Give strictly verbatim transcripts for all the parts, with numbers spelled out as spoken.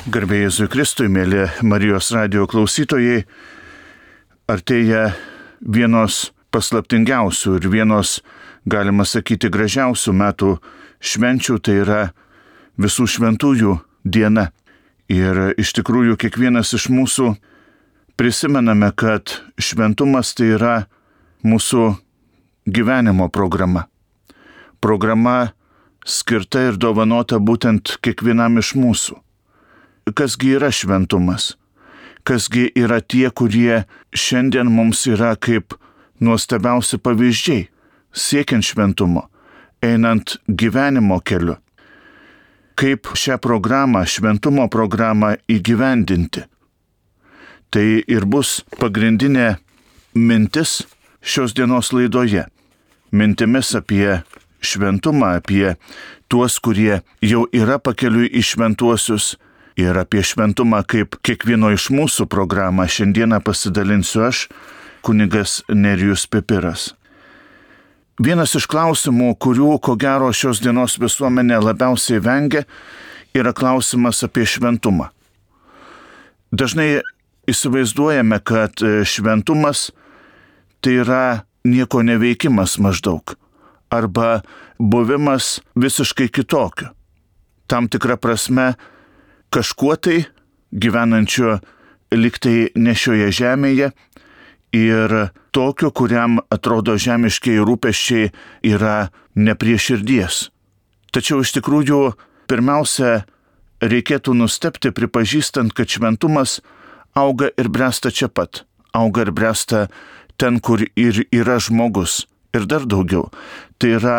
Garbė Jėzui Kristui, mėly Marijos radijo klausytojai, artėja vienos paslaptingiausių ir vienos, galima sakyti, gražiausių metų švenčių, tai yra visų šventųjų diena. Ir iš tikrųjų kiekvienas iš mūsų prisimename, kad šventumas tai yra mūsų gyvenimo programa. Programa skirta ir dovanota būtent kiekvienam iš mūsų. Kasgi yra šventumas? Kasgi yra tie, kurie šiandien mums yra kaip nuostabiausi pavyzdžiai, siekiant šventumo, einant gyvenimo keliu? Kaip šią programą, šventumo programą įgyvendinti? Tai ir bus pagrindinė mintis šios dienos laidoje. Mintimis apie šventumą, apie tuos, kurie jau yra pakeliui į šventuosius, ir apie šventumą kaip kiekvieno iš mūsų programą šiandieną pasidalinsiu aš, kunigas Nerijus Pipiras. Vienas iš klausimų, kurių, ko gero, šios dienos visuomenė labiausiai vengia, yra klausimas apie šventumą. Dažnai įsivaizduojame, kad šventumas tai yra nieko neveikimas maždaug, arba buvimas visiškai kitokiu. Tam tikra prasme, kažkuo tai gyvenančio liktai ne šioje žemėje ir tokio, kuriam atrodo žemiškiai rūpesčiai yra ne prie širdies. Tačiau iš tikrųjų pirmiausia reikėtų nustebti pripažįstant, kad šventumas auga ir bręsta čia pat. Auga ir bręsta ten, kur ir yra žmogus. Ir dar daugiau. Tai yra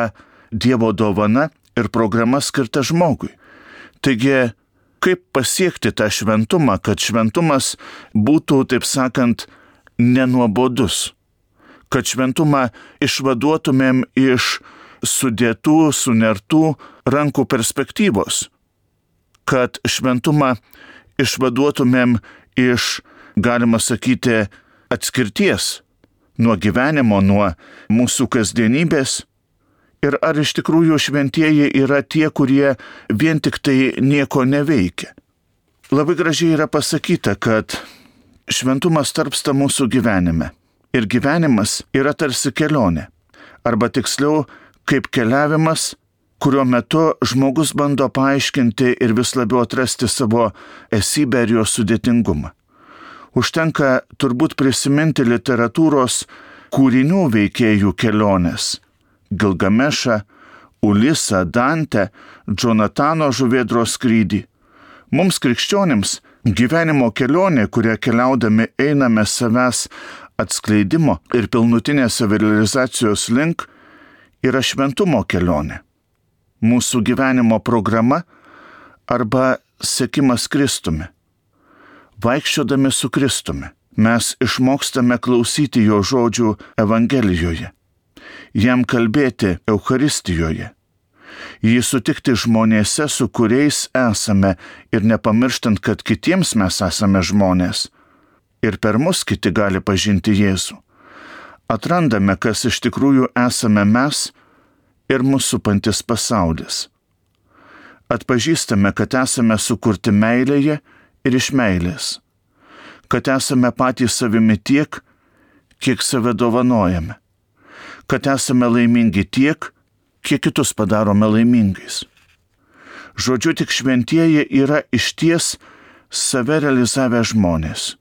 Dievo dovana ir programa skirta žmogui. Taigi, kaip pasiekti tą šventumą, kad šventumas būtų, taip sakant, nenuobodus, kad šventumą išvaduotumėm iš sudėtų, sunertų rankų perspektyvos, kad šventumą išvaduotumėm iš, galima sakyti, atskirties nuo gyvenimo, nuo mūsų kasdienybės. Ir ar iš tikrųjų šventieji yra tie, kurie vien tik tai nieko neveikia? Labai gražiai yra pasakyta, kad šventumas tarpsta mūsų gyvenime. Ir gyvenimas yra tarsi kelionė. Arba tiksliau, kaip keliavimas, kurio metu žmogus bando paaiškinti ir vis labiau atrasti savo esybę ir jos sudėtingumą. Užtenka turbūt prisiminti literatūros kūrinių veikėjų kelionės. Gilgamešą, Ulisą, Dantę, Džonatano žuvėdros skrydį. Mums krikščionims gyvenimo kelionė, kurią keliaudami einame savęs atskleidimo ir pilnutinės savirealizacijos link, yra šventumo kelionė. Mūsų gyvenimo programa arba sekimas Kristumi. Vaikščiodami su Kristumi mes išmokstame klausyti jo žodžių Evangelijoje. Jam kalbėti Eucharistijoje, jį sutikti žmonėse, su kuriais esame ir nepamirštant, kad kitiems mes esame žmonės ir per mus kiti gali pažinti Jėzų. Atrandame, kas iš tikrųjų esame mes ir mūsų supantis pasaulis. Atpažįstame, kad esame sukurti meilėje ir iš meilės, kad esame patys savimi tiek, kiek save dovanojame, kad esame laimingi tiek, kiek kitus padarome laimingais. Žodžiu, tik šventieji yra išties save realizavę žmonės.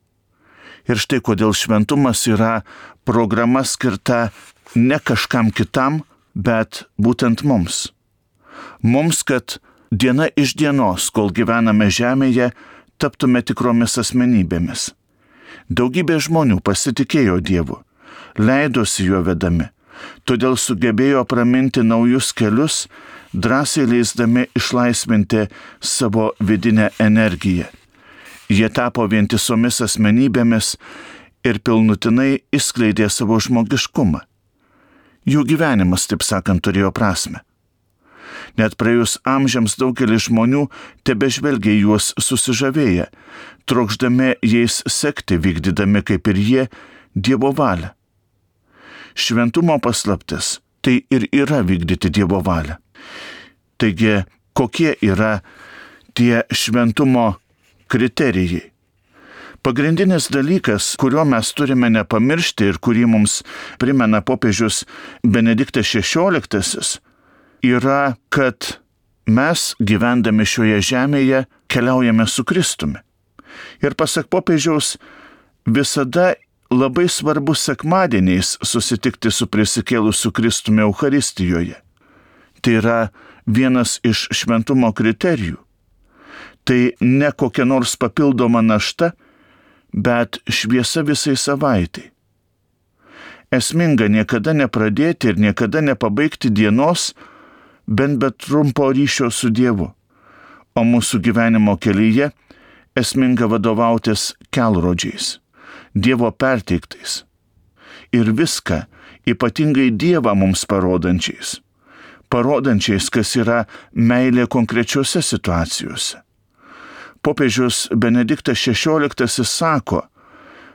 Ir štai kodėl šventumas yra programa skirta ne kažkam kitam, bet būtent mums. Mums, kad diena iš dienos, kol gyvename žemėje, taptume tikromis asmenybėmis. Daugybė žmonių pasitikėjo Dievu, leidosi juo vedami. Todėl sugebėjo praminti naujus kelius, drąsiai leisdami išlaisvinti savo vidinę energiją. Jie tapo vientisomis asmenybėmis ir pilnutinai išskleidė savo žmogiškumą. Jų gyvenimas, taip sakant, turėjo prasmę. Net praėjus amžiams daugelis žmonių tebežvelgia juos susižavėję, trokšdami jais sekti, vykdydami kaip ir jie Dievo valią. Šventumo paslaptis tai ir yra vykdyti Dievo valią. Taigi, kokie yra tie šventumo kriterijai. Pagrindinis dalykas, kurio mes turime nepamiršti ir kurį mums primena popiežius Benediktas šešioliktasis, yra, kad mes gyvendami šioje žemėje keliaujame su Kristumi. Ir pasak popiežiaus, visada labai svarbu sekmadieniais susitikti su prisikėlusiu Kristumi Eucharistijoje. Tai yra vienas iš šventumo kriterijų. Tai ne kokia nors papildoma našta, bet šviesa visai savaitai. Esminga niekada nepradėti ir niekada nepabaigti dienos, bent be trumpo ryšio su Dievu. O mūsų gyvenimo kelyje esminga vadovautis kelrodžiais, Dievo perteiktais. Ir viską, ypatingai Dievą mums parodančiais. Parodančiais, kas yra meilė konkrečiose situacijose. Popiežius Benediktas šešioliktasis sako,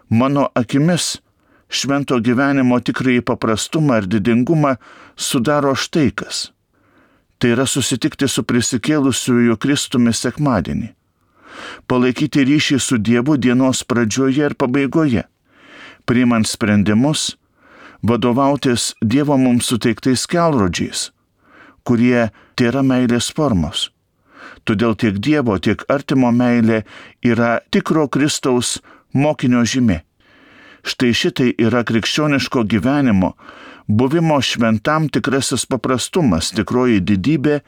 mano akimis švento gyvenimo tikrąjį paprastumą ir didingumą sudaro štai kas. Tai yra susitikti su prisikėlusiuoju Kristumi sekmadienį. Palaikyti ryšį su Dievu dienos pradžioje ir pabaigoje. Priimant sprendimus, vadovautis Dievo mums suteiktais kelrodžiais, kurie tėra meilės formos. Todėl tiek Dievo, tiek artimo meilė yra tikro Kristaus mokinio žymė. Štai šitai yra krikščioniško gyvenimo, buvimo šventam tikrasis paprastumas, tikroji didybė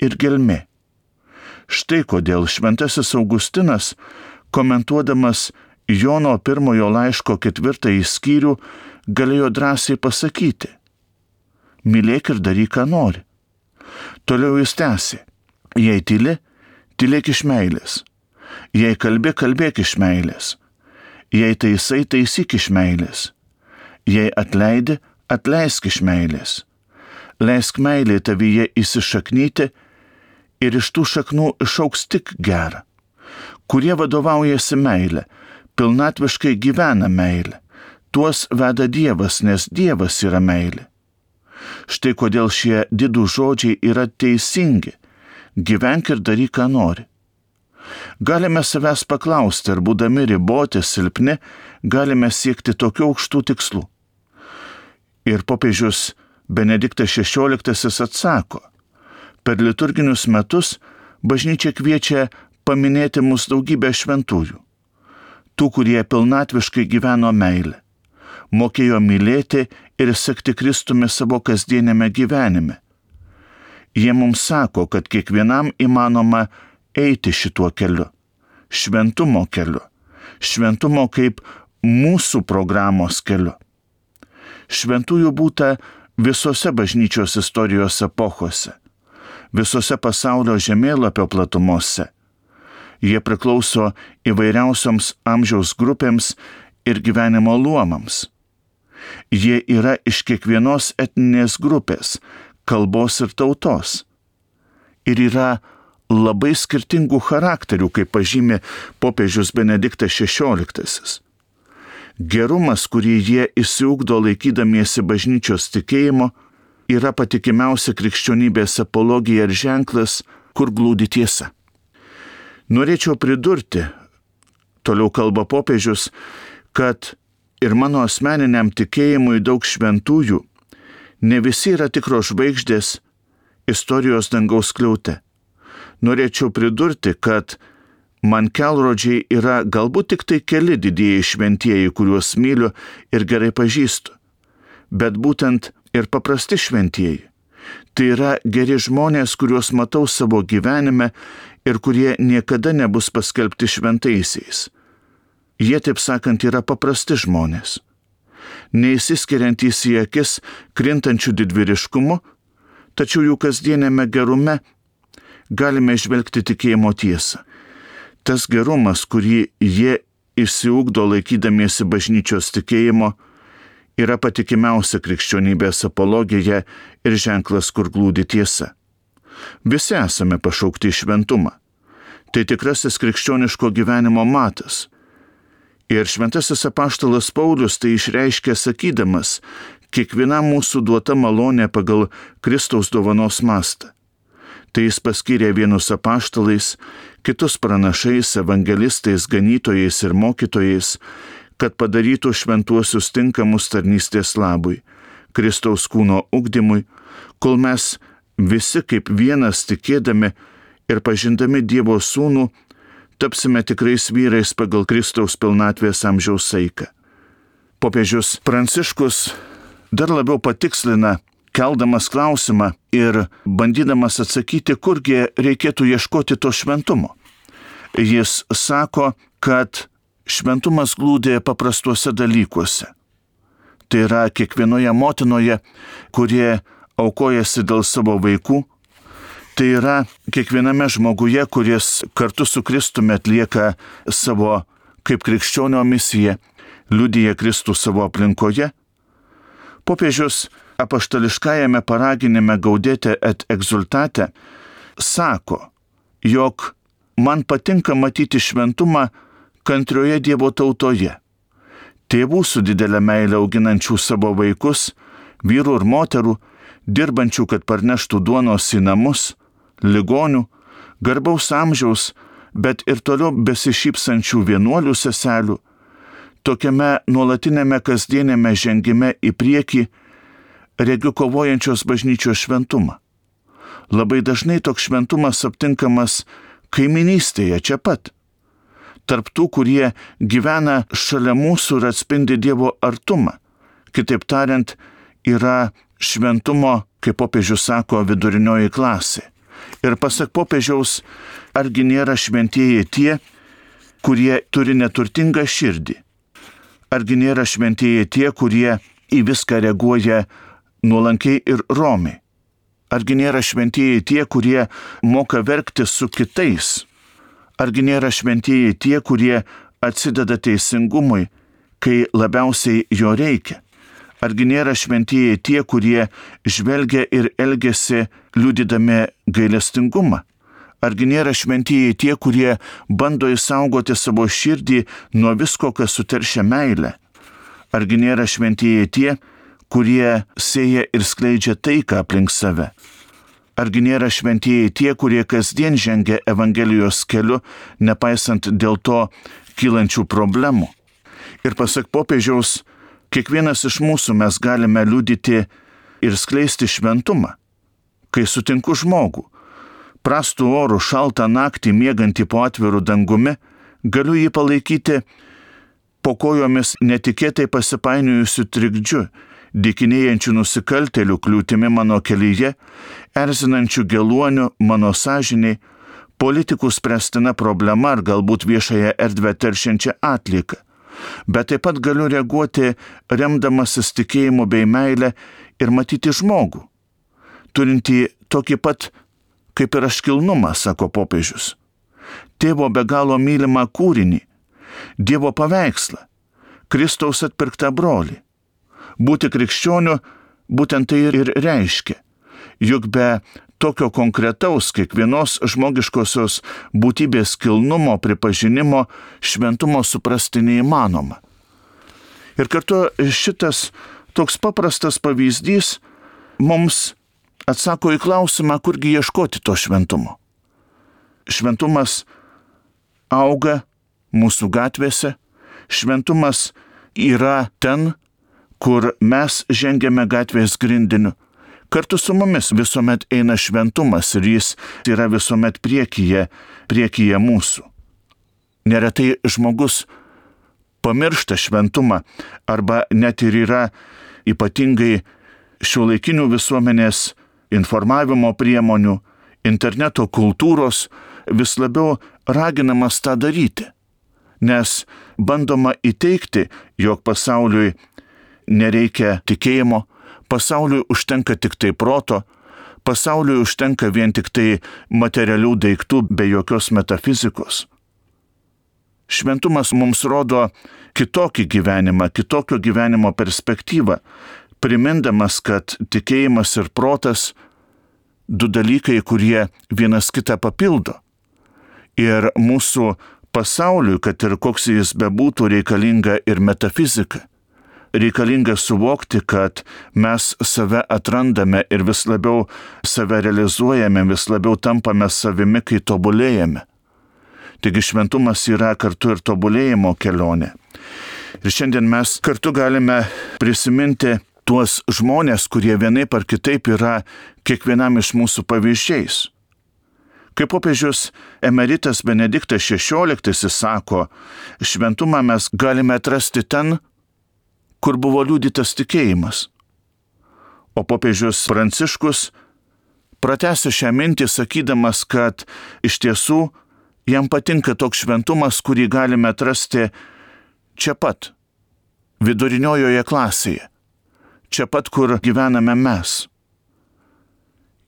ir gelmė. Štai kodėl šventasis Augustinas, komentuodamas Jono pirmojo laiško ketvirtąjį skyrių, galėjo drąsiai pasakyti: mylėk ir daryk, ką nori. Toliau jis tęsė: jei tyli, tylėk iš meilės. Jei kalbi, kalbėk iš meilės. Jei taisai, taisyk iš meilės. Jei atleidi, atleisk iš meilės. Leisk meilė tavyje įsišaknyti ir iš tų šaknų išaugs tik gera. Kurie vadovaujasi meilė, pilnatviškai gyvena meilė. Tuos veda Dievas, nes Dievas yra meilė. Štai kodėl šie didų žodžiai yra teisingi. Gyvenk ir daryk, ką nori. Galime savęs paklausti, ar būdami riboti, silpni, galime siekti tokių aukštų tikslų. Ir popiežius Benediktas šešioliktasis atsako: per liturginius metus bažnyčia kviečia paminėti mus daugybę šventųjų. Tų, kurie pilnatviškai gyveno meilę, mokėjo mylėti ir sekti Kristumi savo kasdienėme gyvenime. Jie mums sako, kad kiekvienam įmanoma eiti šituo keliu, šventumo keliu, šventumo kaip mūsų programos keliu. Šventųjų būta visose bažnyčios istorijos epochose, visose pasaulio žemėlapio platumose. Jie priklauso įvairiausioms amžiaus grupėms ir gyvenimo luomams. Jie yra iš kiekvienos etninės grupės, kalbos ir tautos. Ir yra labai skirtingų charakterių, kaip pažymė popiežius Benediktas šešioliktasis. Gerumas, kurį jie išsiugdo laikydamiesi bažnyčios tikėjimo, yra patikimiausia krikščionybės apologija ir ženklas, kur glūdi tiesa. Norėčiau pridurti, toliau kalba popiežius, kad ir mano asmeniniam tikėjimui daug šventųjų, ne visi yra tikros žvaigždės istorijos dangaus skliaute. Norėčiau pridurti, kad man kelrodžiai yra galbūt tik tai keli didieji šventieji, kuriuos myliu ir gerai pažįstu, bet būtent ir paprasti šventieji. Tai yra geri žmonės, kuriuos matau savo gyvenime ir kurie niekada nebus paskelbti šventaisiais. Jie, taip sakant, yra paprasti žmonės. Neįsiskiriantys į akis krintančių didvyriškumu, tačiau jų kasdienėme gerume galime žvelgti tikėjimo tiesą. Tas gerumas, kurį jie išsiugdo laikydamiesi bažnyčios tikėjimo, yra patikimiausia krikščionybės apologija ir ženklas, kur glūdi tiesa. Visi esame pašaukti į šventumą. Tai tikrasis krikščioniško gyvenimo matas. Ir šventasis apaštalas Paulius tai išreiškė sakydamas: kiekviena mūsų duota malonė pagal Kristaus dovanos mastą. Tai jis paskyrė vienus apaštalais, kitus pranašais, evangelistais, ganytojais ir mokytojais, kad padarytų šventuosius tinkamus tarnystės labui, Kristaus kūno ugdymui, kol mes visi kaip vienas tikėdami ir pažindami Dievo sūnų, tapsime tikrais vyrais pagal Kristaus pilnatvės amžiaus saiką. Popiežius Pranciškus dar labiau patikslina, keldamas klausimą ir bandydamas atsakyti, kurgi reikėtų ieškoti to šventumo. Jis sako, kad šventumas glūdi paprastuose dalykuose. Tai yra kiekvienoje motinoje, kurie aukojasi dėl savo vaikų. Tai yra kiekviename žmoguje, kuris kartu su Kristumi atlieka savo kaip krikščionio misiją, liudija Kristų savo aplinkoje. Popiežius apaštališkajame paraginime Gaudete et Exsultate sako, jog man patinka matyti šventumą kantrioje Dievo tautoje, tėvų su didelė meile auginančių savo vaikus, vyrų ir moterų, dirbančių, kad parneštų duonos į namus, ligonių, garbaus amžiaus, bet ir toliau besišypsančių vienuolių seselių, tokiame nuolatinėme kasdienėme žengime į priekį regiu kovojančios bažnyčios šventumą. Labai dažnai toks šventumas aptinkamas kaiminystėje čia pat. Tarp tų, kurie gyvena šalia mūsų ir atspindi Dievo artumą. Kitaip tariant, yra šventumo, kaip popiežius sako, vidurinioji klasė. Ir pasak popiežiaus, argi nėra šventieji tie, kurie turi neturtingą širdį? Argi nėra šventieji tie, kurie į viską reaguoja nuolankiai ir romiai? Argi nėra šventieji tie, kurie moka verkti su kitais? Argi nėra šventieji tie, kurie atsideda teisingumui, kai labiausiai jo reikia? Argi nėra šventieji tie, kurie žvelgia ir elgiasi liudydami gailestingumą? Argi nėra šventieji tie, kurie bando išsaugoti savo širdį nuo visko, kas suteršia meilę? Argi nėra šventieji tie, kurie sėja ir skleidžia taiką aplink save? Argi nėra šventieji tie, kurie kasdien žengia Evangelijos keliu, nepaisant dėl to kylančių problemų? Ir pasak popiežiaus, kiekvienas iš mūsų mes galime liudyti ir skleisti šventumą. Kai sutinku žmogų, prastų orų šaltą naktį miegantį po atviru dangumi, galiu jį palaikyti po kojomis netikėtai pasipainiojusių trikdžių, dykinėjančių nusikaltėlių kliūtimi mano kelyje, erzinančių geluonių mano sąžiniai, politikų spręstina problema ar galbūt viešąją erdvę teršiančią atlieką. Bet taip pat galiu reaguoti remdamasis tikėjimu bei meilę ir matyti žmogų, turintį tokį pat kaip ir aš kilnumą, sako popiežius. Tėvo be galo mylimą kūrinį, Dievo paveikslą, Kristaus atpirktą brolį. Būti krikščioniu būtent tai ir reiškia, juk be tokio konkretaus kiekvienos žmogiškosios būtybės kilnumo, pripažinimo, šventumo suprasti neįmanoma. Ir kartu šitas toks paprastas pavyzdys mums atsako į klausimą, kurgi ieškoti to šventumo. Šventumas auga mūsų gatvėse, šventumas yra ten, kur mes žengiame gatvės grindiniu. Kartu su mumis visuomet eina šventumas ir jis yra visuomet priekyje, priekyje mūsų. Neretai žmogus pamiršta šventumą arba net ir yra ypatingai šiuolaikinių visuomenės informavimo priemonių, interneto kultūros vis labiau raginamas tą daryti, nes bandoma įteikti, jog pasauliui nereikia tikėjimo, pasauliui užtenka tik tai proto, pasauliui užtenka vien tik tai materialių daiktų be jokios metafizikos. Šventumas mums rodo kitokį gyvenimą, kitokio gyvenimo perspektyvą, primindamas, kad tikėjimas ir protas du dalykai, kurie vienas kitą papildo. Ir mūsų pasauliui, kad ir koks jis bebūtų, reikalinga ir metafizika. reikalinga suvokti, kad mes save atrandame ir vis labiau save realizuojame, vis labiau tampame savimi, kai tobulėjame. Taigi šventumas yra kartu ir tobulėjimo kelionė. Ir šiandien mes kartu galime prisiminti tuos žmonės, kurie vienaip ar kitaip yra kiekvienam iš mūsų pavyzdžiais. Kaip popiežius emeritas Benediktas šešioliktasis sako, šventumą mes galime atrasti ten, kur buvo liudytas tikėjimas. O popiežius Pranciškus pratęsia šią mintį sakydamas, kad iš tiesų jam patinka toks šventumas, kurį galime atrasti čia pat, viduriniojoje klasėje, čia pat, kur gyvename mes.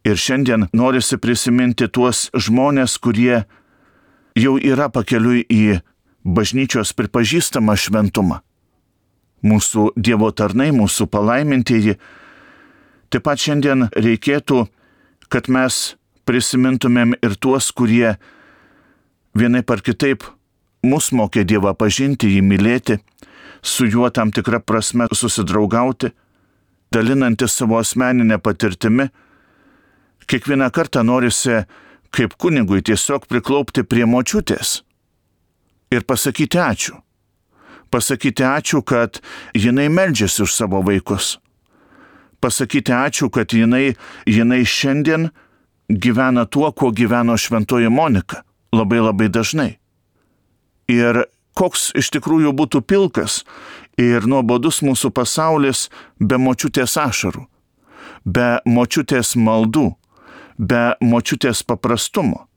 Ir šiandien norisi prisiminti tuos žmonės, kurie jau yra pakeliui į bažnyčios pripažįstamą šventumą. Mūsų Dievo tarnai, mūsų palaimintieji. Taip pat šiandien reikėtų, kad mes prisimintumėm ir tuos, kurie vienaip ar kitaip mus mokė Dievą pažinti, jį mylėti, su juo tam tikrą prasme susidraugauti, dalinantis savo asmeninę patirtimi. Kiekvieną kartą norisi kaip kunigui tiesiog priklaupti prie močiutės ir pasakyti ačiū. Pasakyti ačiū, kad jinai meldžiasi už savo vaikus. Pasakyti ačiū, kad jinai, jinai šiandien gyvena tuo, kuo gyveno šventoji Monika. Labai labai dažnai. Ir koks iš tikrųjų būtų pilkas ir nuobodus mūsų pasaulis be močiutės ašarų, be močiutės maldų, be močiutės paprastumo.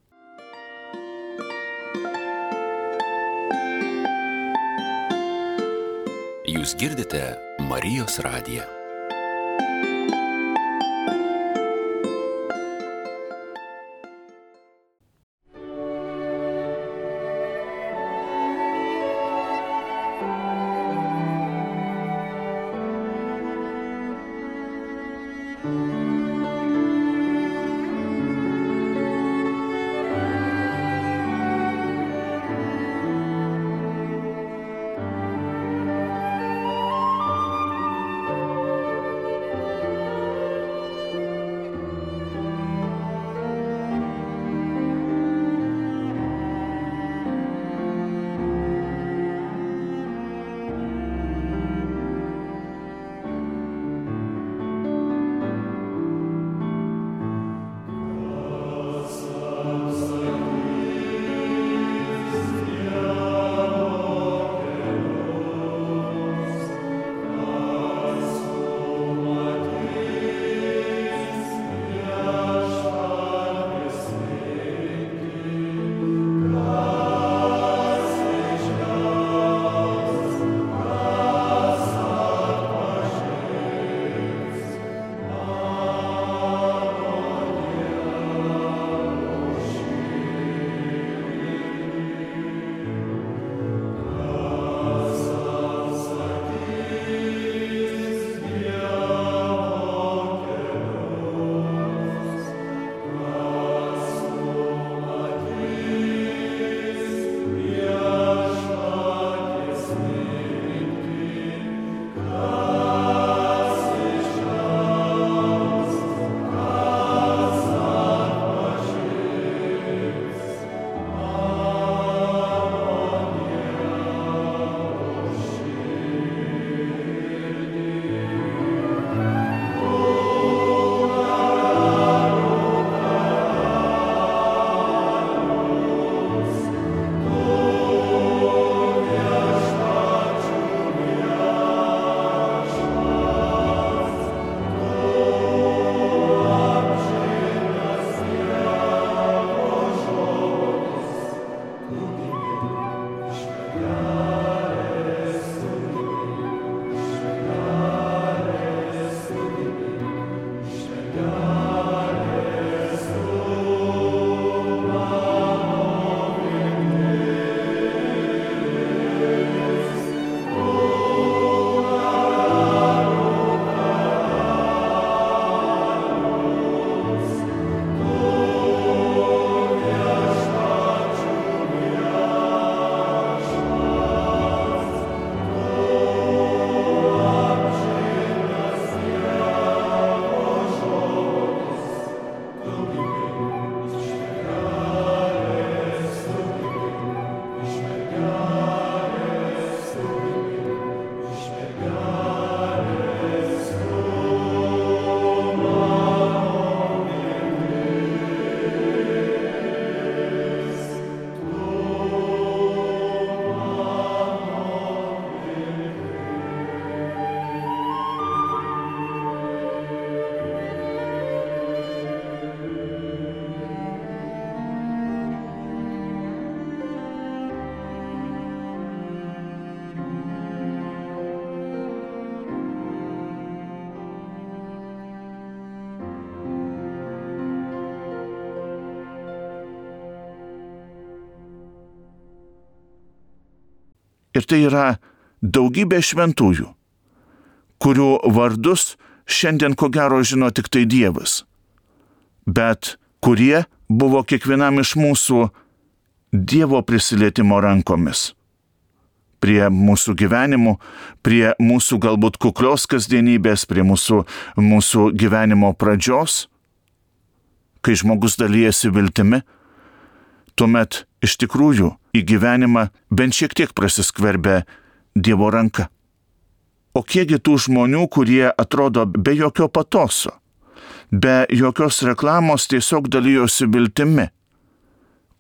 Jūs girdite Marijos radiją. Ir tai yra daugybė šventųjų, kurių vardus šiandien ko gero žino tik tai Dievas, bet kurie buvo kiekvienam iš mūsų Dievo prisilietimo rankomis. Prie mūsų gyvenimų, prie mūsų galbūt kuklios kasdienybės, prie mūsų, mūsų gyvenimo pradžios, kai žmogus dalyjasi viltimi, tuomet iš tikrųjų į gyvenimą bent šiek tiek prasiskverbia Dievo ranka. O kiekgi tų žmonių, kurie atrodo be jokio patoso, be jokios reklamos tiesiog dalyjosi viltimi,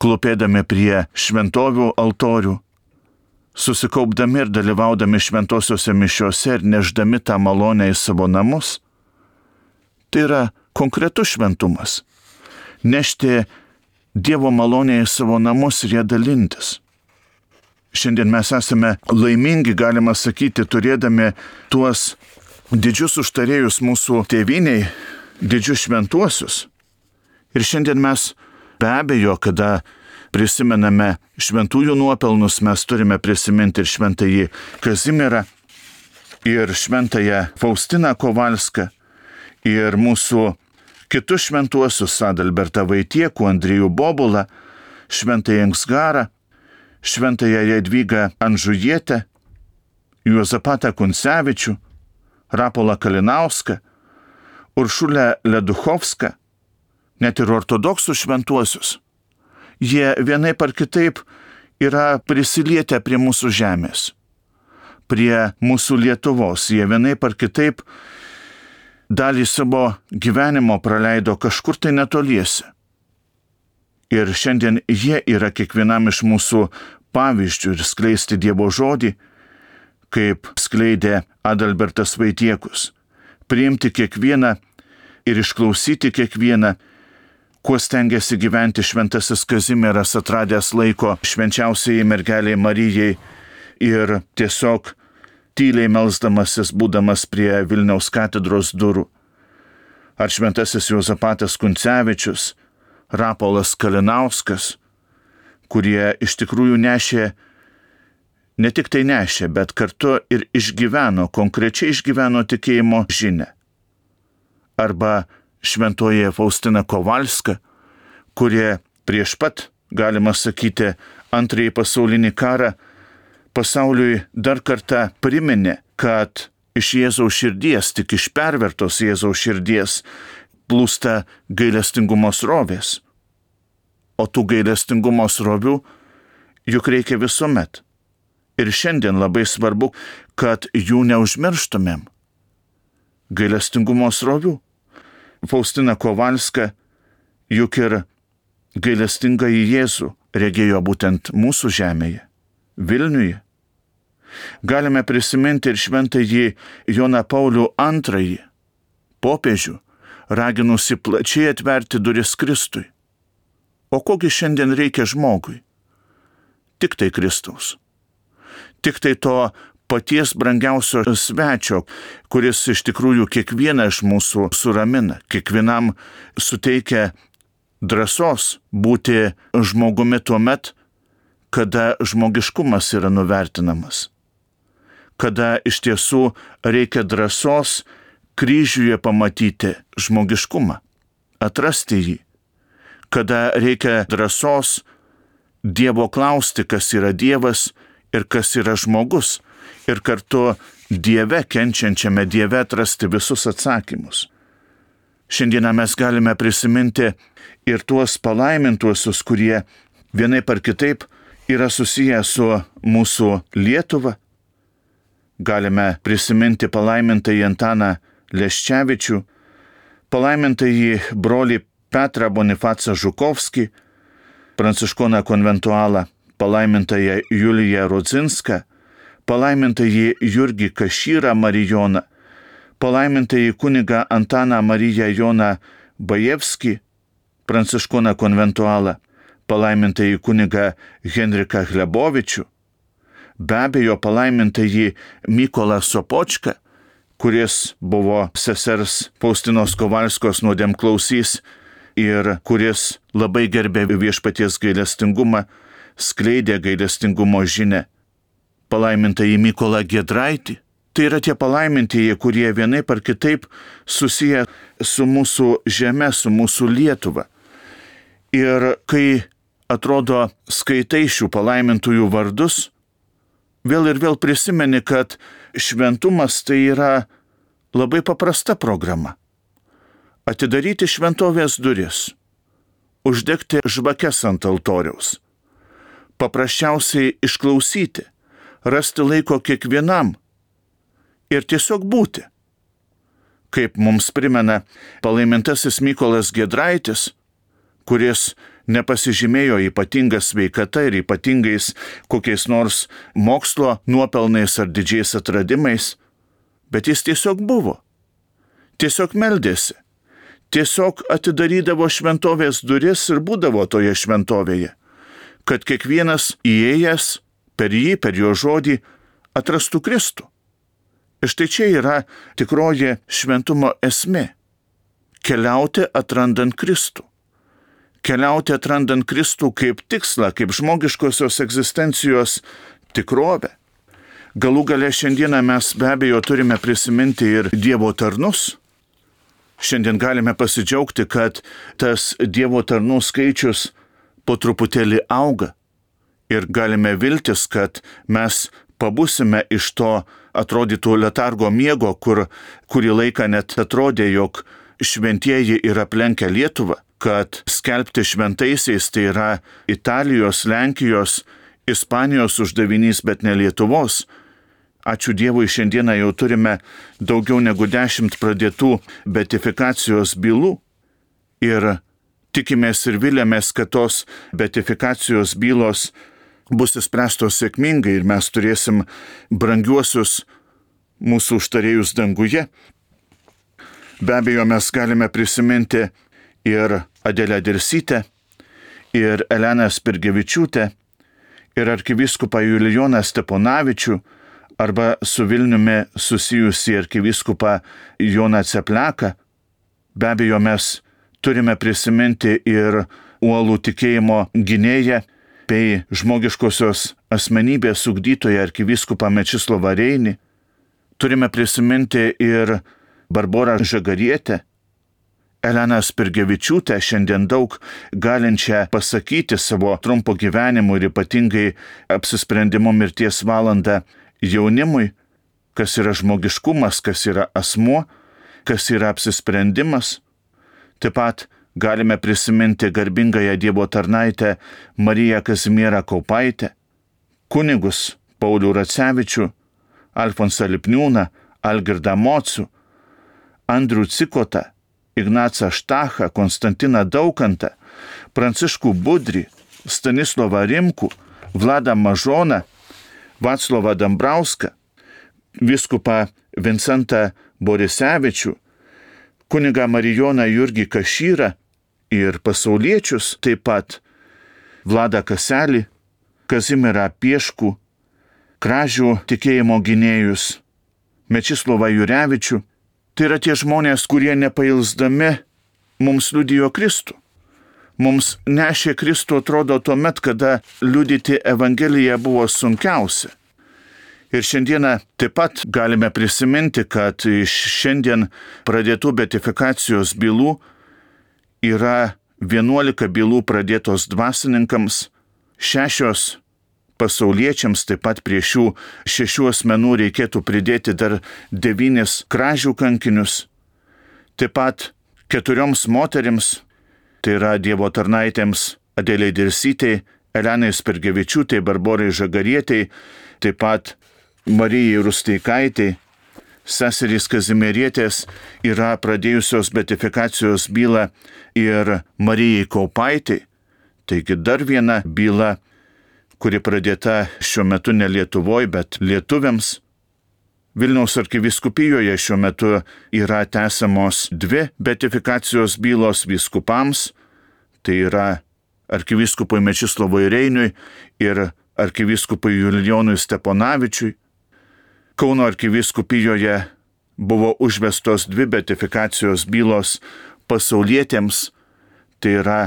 klūpėdami prie šventovių altorių, susikaupdami ir dalyvaudami šventosiuose mišiuose ir neždami tą malonę į savo namus. Tai yra konkretus šventumas. Nešti Dievo malonę į savo namus ir ją dalintis. Šiandien mes esame laimingi, galima sakyti, turėdami tuos didžius užtarėjus mūsų tėvyniai, didžius šventuosius. Ir šiandien mes be abejo, kada prisimename šventųjų nuopelnus, mes turime prisiminti ir šventąjį Kazimierą, ir šventąją Faustiną Kovalską, ir mūsų kitus šventuosius Adalbertą Vaitiekų, Andriejų Bobulą, šventąją Ingsgarą, šventąją Jadvygą Anžujietę, Juozapatą Kuncevičių, Rapolą Kalinauską, Uršulę Leduchovską, net ir ortodoksų šventuosius. Jie vienaip ar kitaip yra prisilietę prie mūsų žemės, prie mūsų Lietuvos. Jie vienaip ar kitaip dalį savo gyvenimo praleido kažkur tai netoliese. Ir šiandien jie yra kiekvienam iš mūsų pavyzdžių ir skleisti Dievo žodį, kaip skleidė Adalbertas Vaitiekus. Priimti kiekvieną ir išklausyti kiekvieną, kuo stengiasi gyventi šventasis Kazimieras, atradęs laiko švenčiausiai mergeliai Marijai ir tiesiog tyliai melsdamasis, būdamas prie Vilniaus katedros durų. Ar šventasis Juozapatas Kuncevičius, Rapolas Kalinauskas, kurie iš tikrųjų nešė, ne tik tai nešė, bet kartu ir išgyveno, konkrečiai išgyveno tikėjimo žinią. Arba šventoji Faustina Kovalska, kurie prieš pat, galima sakyti, antrąjį pasaulinį karą pasauliui dar kartą priminė, kad iš Jėzaus širdies, tik iš pervertos Jėzaus širdies plūsta gailestingumo srovės. O tų gailestingumo srovių juk reikia visuomet. Ir šiandien labai svarbu, kad jų neužmirštumėm. Gailestingumo srovių. Faustina Kovalska juk ir gailestingą į Jėzų regėjo būtent mūsų žemėje, Vilniuje. Galime prisiminti ir šventąjį Joną Paulių antrąjį, popiežių, raginusi plačiai atverti duris Kristui. O kogi šiandien reikia žmogui? Tik tai Kristaus. Tik tai to paties brangiausio svečio, kuris iš tikrųjų kiekvieną iš mūsų suramina, kiekvienam suteikia drąsos būti žmogumi tuo met, kada žmogiškumas yra nuvertinamas. Kada iš tiesų reikia drąsos kryžiuje pamatyti žmogiškumą, atrasti jį. Kada reikia drąsos Dievo klausti, kas yra Dievas ir kas yra žmogus, ir kartu Dieve, kenčiančiame Dieve atrasti visus atsakymus. Šiandieną mes galime prisiminti ir tuos palaimintuosius, kurie vienaip ar kitaip yra susiję su mūsų Lietuva. Galime prisiminti palaimintąjį Antaną Leščevičių, palaimintąjį brolį Petrą Bonifacą Žukovskį, pranciškoną konventualą, palaimintąją Juliją Rudzinską, palaimintąjį Jurgį Kašyrą Marijoną, palaimintąjį kunigą Antaną Mariją Joną Bajevskį, pranciškoną konventualą, palaimintąjį kunigą Henriką Hlebovičių, be abejo palaimintąjį Mykolą Sopočką, kuris buvo sesers Faustinos Kovalskos nuodėmklausys ir kuris labai gerbė viešpaties gailestingumą, skleidė gailestingumo žinią. palaimintąjį Mykolą Giedraitį. Tai yra tie palaimintieji, kurie vienaip ar kitaip susiję su mūsų žeme, su mūsų Lietuva. Ir kai atrodo skaitai šių palaimintųjų vardus, vėl ir vėl prisimeni, kad šventumas tai yra labai paprasta programa. Atidaryti šventovės duris, uždegti žvakes ant altoriaus, paprasčiausiai išklausyti, rasti laiko kiekvienam ir tiesiog būti. Kaip mums primena palaimintasis Mykolas Giedraitis, kuris nepasižymėjo ypatinga sveikata ir ypatingais kokiais nors mokslo nuopelnais ar didžiais atradimais, bet jis tiesiog buvo, tiesiog meldėsi, tiesiog atidarydavo šventovės duris ir būdavo toje šventovėje, kad kiekvienas įėjęs per jį, per jo žodį atrastų Kristų. Ir štai čia yra tikroji šventumo esmė – keliauti atrandant Kristų. Keliauti atrandant Kristų kaip tikslą, kaip žmogiškosios egzistencijos tikrovę. Galų gale šiandieną mes be abejo turime prisiminti ir Dievo tarnus. Šiandien galime pasidžiaugti, kad tas Dievo tarnų skaičius po truputėlį auga. Ir galime viltis, kad mes pabusime iš to atrodytų letargo miego, kur kurį laiką net atrodė, jog šventieji yra aplenkę Lietuvą, kad skelbti šventaisiais tai yra Italijos, Lenkijos, Ispanijos uždavinys, bet ne Lietuvos. Ačiū Dievui, šiandieną jau turime daugiau negu dešimt pradėtų beatifikacijos bylų ir tikimės ir vilėmės, kad tos beatifikacijos bylos bus įspręstos sėkmingai ir mes turėsim brangiuosius mūsų užtarėjus danguje. Be abejo, mes galime prisiminti ir Adelę Dirsytę, ir Eleną Spirgevičiūtę, ir arkivyskupą Julijoną Steponavičių, arba su Vilniumi susijusi arkivyskupą Joną Cepleką. Be abejo, mes turime prisiminti ir uolų tikėjimo gynėją bei žmogiškosios asmenybės ugdytoją arkivyskupą Mečislovą Reinį. Turime prisiminti ir Barborą Žagarietę, Eleną Spirgevičiūtę, šiandien daug galinčią pasakyti savo trumpo gyvenimu ir ypatingai apsisprendimo mirties valandą jaunimui, kas yra žmogiškumas, kas yra asmuo, kas yra apsisprendimas. Taip pat galime prisiminti garbingąją Dievo tarnaitę Mariją Kazimierą Kaupaitę, kunigus Paulių Racevičių, Alfonsą Lipniūną, Algirdą Mocių, Andrių Cikotą, Ignacą Štachą, Konstantiną Daukantą, Pranciškų Budrį, Stanislovą Rimkų, Vladą Mažoną, Vaclovą Dambrauską, vyskupą Vincentą Borisevičių, kunigą Marijoną Jurgį Kašyrą ir pasauliečius, taip pat Vladą Kaselį, Kazimierą Pieškų, Kražių tikėjimo gynėjus, Mečislovą Jurevičių. Tai yra tie žmonės, kurie nepailsdami mums liudijo Kristų. Mums nešė Kristų atrodo tuomet, kada liudyti Evangeliją buvo sunkiausia. Ir šiandieną taip pat galime prisiminti, kad iš šiandien pradėtų beatifikacijos bylų yra vienuolika bylų pradėtos dvasininkams, šešios pasauliečiams, taip pat prie šių šešių asmenų reikėtų pridėti dar devynis kražių kankinius, taip pat keturioms moterims, tai yra Dievo tarnaitėms Adelei Dirsytei, Elenai Spirgevičiūtei, Barborai Žagarietei, taip pat Marijai Rusteikaitei, seserys Kazimierietės yra pradėjusios beatifikacijos bylą ir Marijai Kaupaitei. Taigi dar viena byla, kuri pradėta šiuo metu ne Lietuvoje, bet lietuviams. Vilniaus arkivyskupijoje šiuo metu yra tęsiamos dvi beatifikacijos bylos vyskupams, tai yra arkivyskupui Mečislovui Reiniui ir arkivyskupui Julijonui Steponavičiui. Kauno arkivyskupijoje buvo užvestos dvi beatifikacijos bylos pasaulietėms, tai yra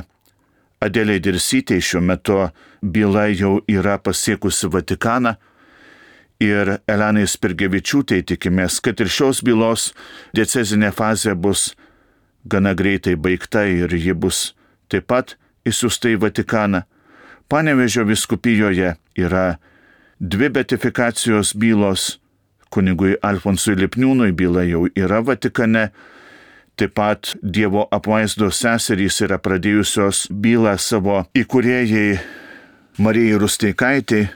Adelei Dirsytei, šiuo metu byla jau yra pasiekusi Vatikaną, ir Elenai Spirgevičiūtei tikimės, kad ir šios bylos diecezinė fazė bus gana greitai baigta ir ji bus taip pat išsiųsta į Vatikaną. Panevėžio vyskupijoje yra dvi beatifikacijos bylos, kunigui Alfonsui Lipniūnui byla jau yra Vatikane, taip pat Dievo apvaizdos seserys yra pradėjusios bylą savo įkūrėjai Marijai Rusteikaitei.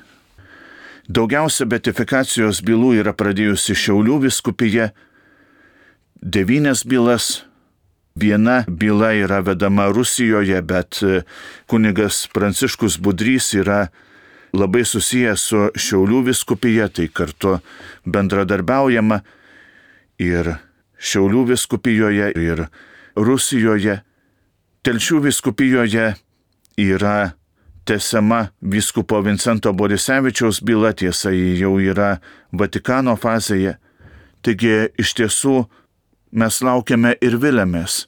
Daugiausia beatifikacijos bylų yra pradėjusi Šiaulių vyskupija, devynias bylas. Viena byla yra vedama Rusijoje, bet kunigas Pranciškus Budrys yra labai susijęs su Šiaulių vyskupija, tai kartu bendradarbiaujama ir Šiaulių vyskupijoje, ir Rusijoje. Telšių vyskupijoje yra tęsiama vyskupo Vincento Borisevičiaus byla, tiesa, ji jau yra Vatikano fazėje. Taigi iš tiesų mes laukiame ir viliamės,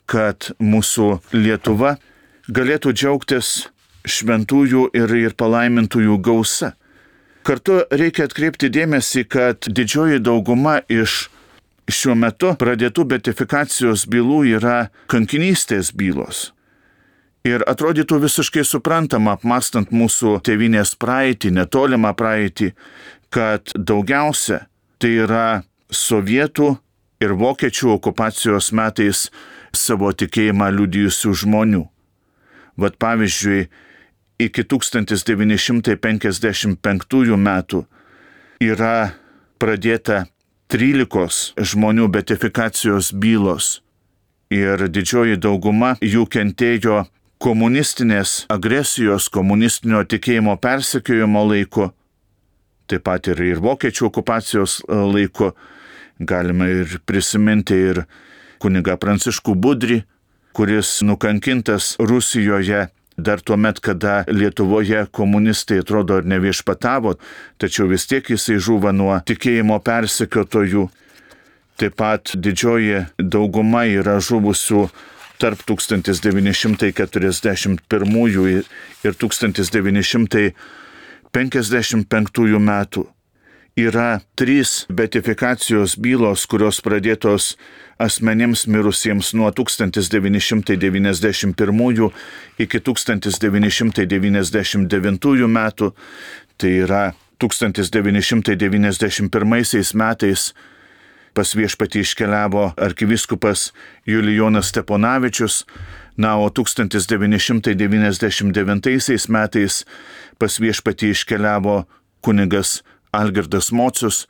kad mūsų Lietuva galėtų džiaugtis šventųjų ir, ir palaimintųjų gausa. Kartu reikia atkreipti dėmesį, kad didžioji dauguma iš šiuo metu pradėtų beatifikacijos bylų yra kankinystės bylos. Ir atrodytų visiškai suprantama, apmąstant mūsų tėvynės praeitį, netolimą praeitį, kad daugiausia tai yra sovietų ir vokiečių okupacijos metais savo tikėjimą liudijusių žmonių. Vat pavyzdžiui, iki tūkstantis devyni šimtai penkiasdešimt penktųjų metų yra pradėta trylikos žmonių beatifikacijos bylos ir didžioji dauguma jų kentėjo komunistinės agresijos, komunistinio tikėjimo persekiojimo laiku, taip pat ir, ir vokiečių okupacijos laiku. Galime ir prisiminti ir kunigą Pranciškų Budrį, kuris nukankintas Rusijoje dar tuo met, kada Lietuvoje komunistai atrodo ir neviešpatavo, tačiau vis tiek jisai žuvo nuo tikėjimo persekiotojų. Taip pat didžioji dauguma yra žuvusių tarp tūkstantis devyni šimtai keturiasdešimt pirmųjų ir tūkstantis devyni šimtai penkiasdešimt penktųjų metų. Yra trys beatifikacijos bylos, kurios pradėtos asmenims mirusiems nuo tūkstantis devyni šimtai devyniasdešimt pirmųjų iki tūkstantis devyni šimtai devyniasdešimt devintųjų metų. Tai yra tūkstantis devyni šimtai devyniasdešimt pirmaisiais metais pas viešpatį iškeliavo arkivyskupas Julijonas Steponavičius, na, o tūkstantis devyni šimtai devyniasdešimt devintaisiais metais pas viešpatį iškeliavo kunigas Algirdas Mocius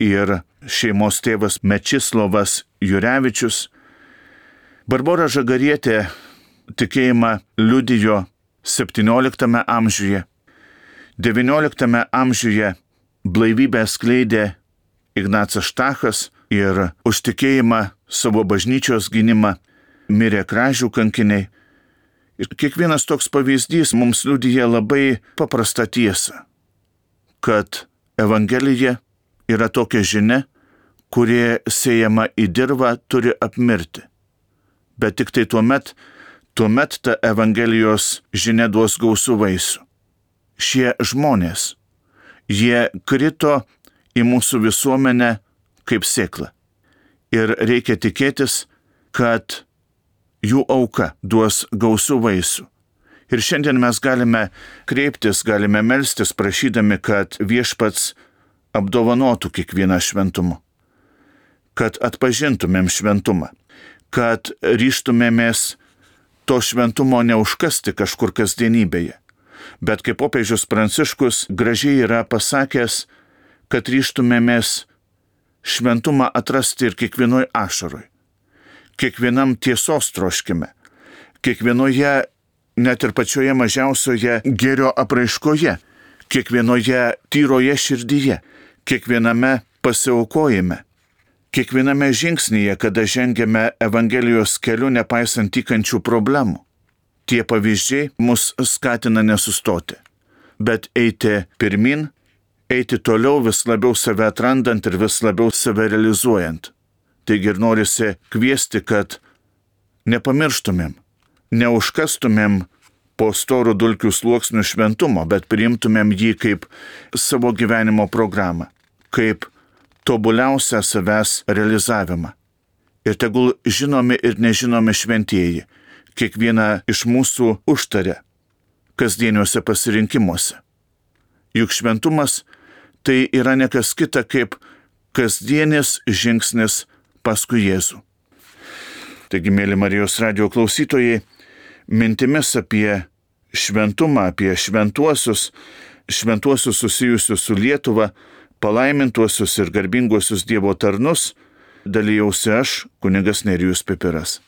ir šeimos tėvas Mečislovas Jurevičius. Barbora Žagarietė tikėjimą liudijo septynioliktame amžiuje. devynioliktame amžiuje blaivybę skleidė Ignacas Štachas ir už tikėjimą savo bažnyčios gynimą mirė Kražių kankiniai. Ir kiekvienas toks pavyzdys mums liudija labai paprastą tiesą, kad Evangelija yra tokia žinia, kurie sėjama į dirvą turi apmirti. Bet tik tai tuomet, tuomet ta Evangelijos žinia duos gausų vaisių. Šie žmonės, jie krito į mūsų visuomenę kaip sėkla. Ir reikia tikėtis, kad jų auka duos gausų vaisių. Ir šiandien mes galime kreiptis, galime melstis, prašydami, kad viešpats apdovanotų kiekvieną šventumu, kad atpažintumėm šventumą, kad ryžtumėmės to šventumo neužkasti kažkur kasdienybėje. Bet kaip popiežius Pranciškus gražiai yra pasakęs, kad ryžtumėmės šventumą atrasti ir kiekvienoj ašaroj, kiekvienam tiesos troškime, kiekvienoje net ir pačioje mažiausioje gėrio apraiškoje, kiekvienoje tyroje širdyje, kiekviename pasiaukojime, kiekviename žingsnyje, kada žengiame Evangelijos keliu nepaisant tykančių problemų. Tie pavyzdžiai mus skatina nesustoti, bet eiti pirmin, eiti toliau vis labiau save atrandant ir vis labiau save realizuojant. Taigi ir norisi kviesti, kad nepamirštumėm, neužkastumėm po storų dulkių sluoksnių šventumo, bet priimtumėm jį kaip savo gyvenimo programą, kaip tobuliausią savęs realizavimą. Ir tegul žinomi ir nežinomi šventieji kiekvieną iš mūsų užtaria kasdieniuose pasirinkimuose. Juk šventumas tai yra ne kas kita kaip kasdienis žingsnis paskui Jėzų. Taigi, mėly Marijos radijo klausytojai, mintimis apie šventumą, apie šventuosius, šventuosius susijusius su Lietuva, palaimintuosius ir garbinguosius Dievo tarnus, dalijausi aš, kunigas Nerijus Pipiras.